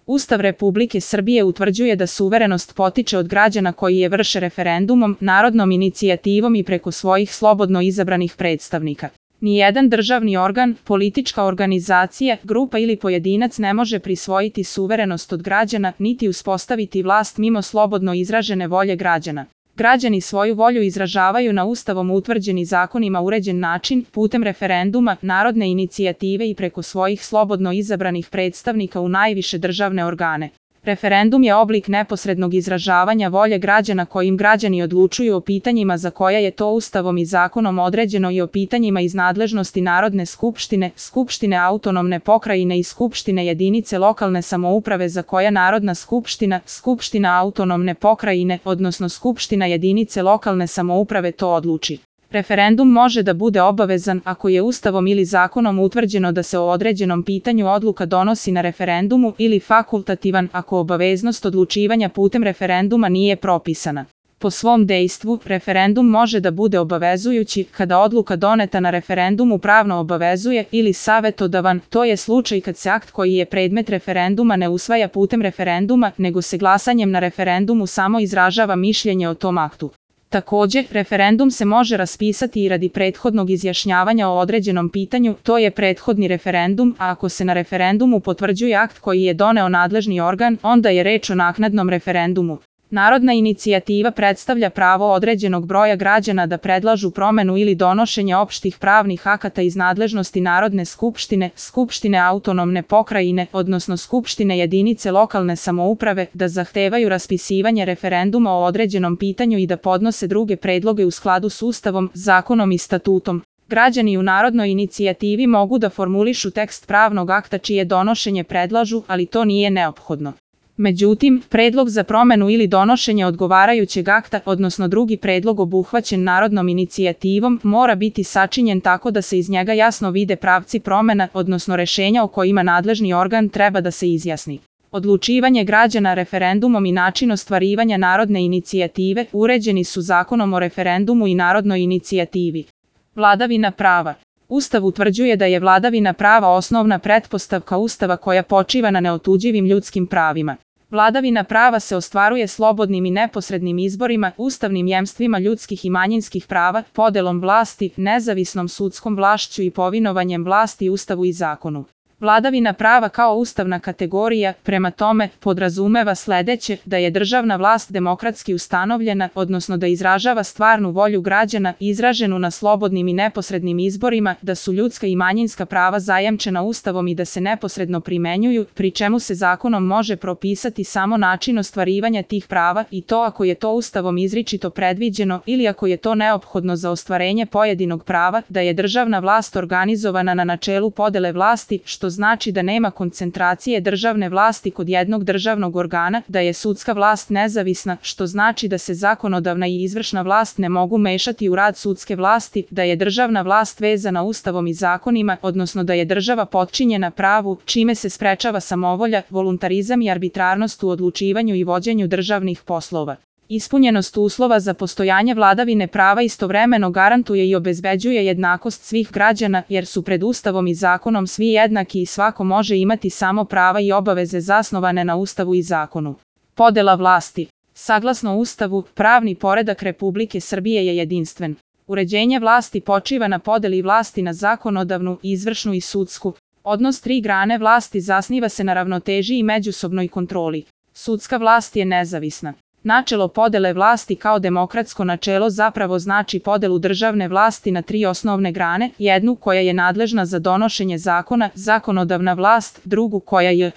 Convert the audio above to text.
Ustav Republike Srbije utvrđuje da suverenost potiče od građana koji je vrše referendumom, narodnom inicijativom i preko svojih slobodno izabranih predstavnika. Nijedan državni organ, politička organizacija, grupa ili pojedinac ne može prisvojiti suverenost od građana niti uspostaviti vlast mimo slobodno izražene volje građana. Građani svoju volju izražavaju na Ustavom utvrđeni zakonima uređen način, putem referenduma, narodne inicijative i preko svojih slobodno izabranih predstavnika u najviše državne organe. Referendum je oblik neposrednog izražavanja volje građana kojim građani odlučuju o pitanjima za koja je to Ustavom i zakonom određeno i o pitanjima iz nadležnosti Narodne skupštine, Skupštine autonomne pokrajine i Skupštine jedinice lokalne samouprave za koja Narodna skupština, Skupština autonomne pokrajine, odnosno Skupština jedinice lokalne samouprave to odluči. Referendum može da bude obavezan ako je Ustavom ili zakonom utvrđeno da se o određenom pitanju odluka donosi na referendumu ili fakultativan ako obaveznost odlučivanja putem referenduma nije propisana. Po svom dejstvu, referendum može da bude obavezujući kada odluka doneta na referendumu pravno obavezuje ili savetodavan, to je slučaj kad se akt koji je predmet referenduma ne usvaja putem referenduma, nego se glasanjem na referendumu samo izražava mišljenje o tom aktu. Također, referendum se može raspisati i radi prethodnog izjašnjavanja o određenom pitanju, to je prethodni referendum, a ako se na referendumu potvrđuje akt koji je doneo nadležni organ, onda je reč o naknadnom referendumu. Narodna inicijativa predstavlja pravo određenog broja građana da predlažu promenu ili donošenje opštih pravnih akata iz nadležnosti Narodne skupštine, Skupštine autonomne pokrajine, odnosno Skupštine jedinice lokalne samouprave, da zahtevaju raspisivanje referenduma o određenom pitanju i da podnose druge predloge u skladu s Ustavom, zakonom i statutom. Građani u narodnoj inicijativi mogu da formulišu tekst pravnog akta čije donošenje predlažu, ali to nije neophodno. Međutim, predlog za promenu ili donošenje odgovarajućeg akta, odnosno drugi predlog obuhvaćen narodnom inicijativom, mora biti sačinjen tako da se iz njega jasno vide pravci promena, odnosno rešenja o kojima nadležni organ treba da se izjasni. Odlučivanje građana referendumom i način ostvarivanja narodne inicijative uređeni su Zakonom o referendumu i narodnoj inicijativi. Vladavina prava. Ustav utvrđuje da je vladavina prava osnovna pretpostavka Ustava koja počiva na neotuđivim ljudskim pravima. Vladavina prava se ostvaruje slobodnim i neposrednim izborima, ustavnim jemstvima ljudskih i manjinskih prava, podelom vlasti, nezavisnom sudskom vlašću i povinovanjem vlasti Ustavu i zakonu. Vladavina prava kao ustavna kategorija, prema tome, podrazumeva sledeće, da je državna vlast demokratski ustanovljena, odnosno da izražava stvarnu volju građana, izraženu na slobodnim i neposrednim izborima, da su ljudska i manjinska prava zajamčena Ustavom i da se neposredno primenjuju, pri čemu se zakonom može propisati samo način ostvarivanja tih prava i to ako je to Ustavom izričito predviđeno ili ako je to neophodno za ostvarenje pojedinog prava, da je državna vlast organizovana na načelu podele vlasti, što znači da nema koncentracije državne vlasti kod jednog državnog organa, da je sudska vlast nezavisna, što znači da se zakonodavna i izvršna vlast ne mogu mešati u rad sudske vlasti, da je državna vlast vezana Ustavom i zakonima, odnosno da je država potčinjena pravu, čime se sprečava samovolja, voluntarizam i arbitrarnost u odlučivanju i vođenju državnih poslova. Ispunjenost uslova za postojanje vladavine prava istovremeno garantuje i obezbeđuje jednakost svih građana, jer su pred Ustavom i zakonom svi jednaki i svako može imati samo prava i obaveze zasnovane na Ustavu i zakonu. Podela vlasti. Saglasno Ustavu, pravni poredak Republike Srbije je jedinstven. Uređenje vlasti počiva na podeli vlasti na zakonodavnu, izvršnu i sudsku. Odnos tri grane vlasti zasniva se na ravnoteži i međusobnoj kontroli. Sudska vlast je nezavisna. Načelo podele vlasti kao demokratsko načelo zapravo znači podelu državne vlasti na tri osnovne grane, jednu koja je nadležna za donošenje zakona, zakonodavna vlast, drugu koja je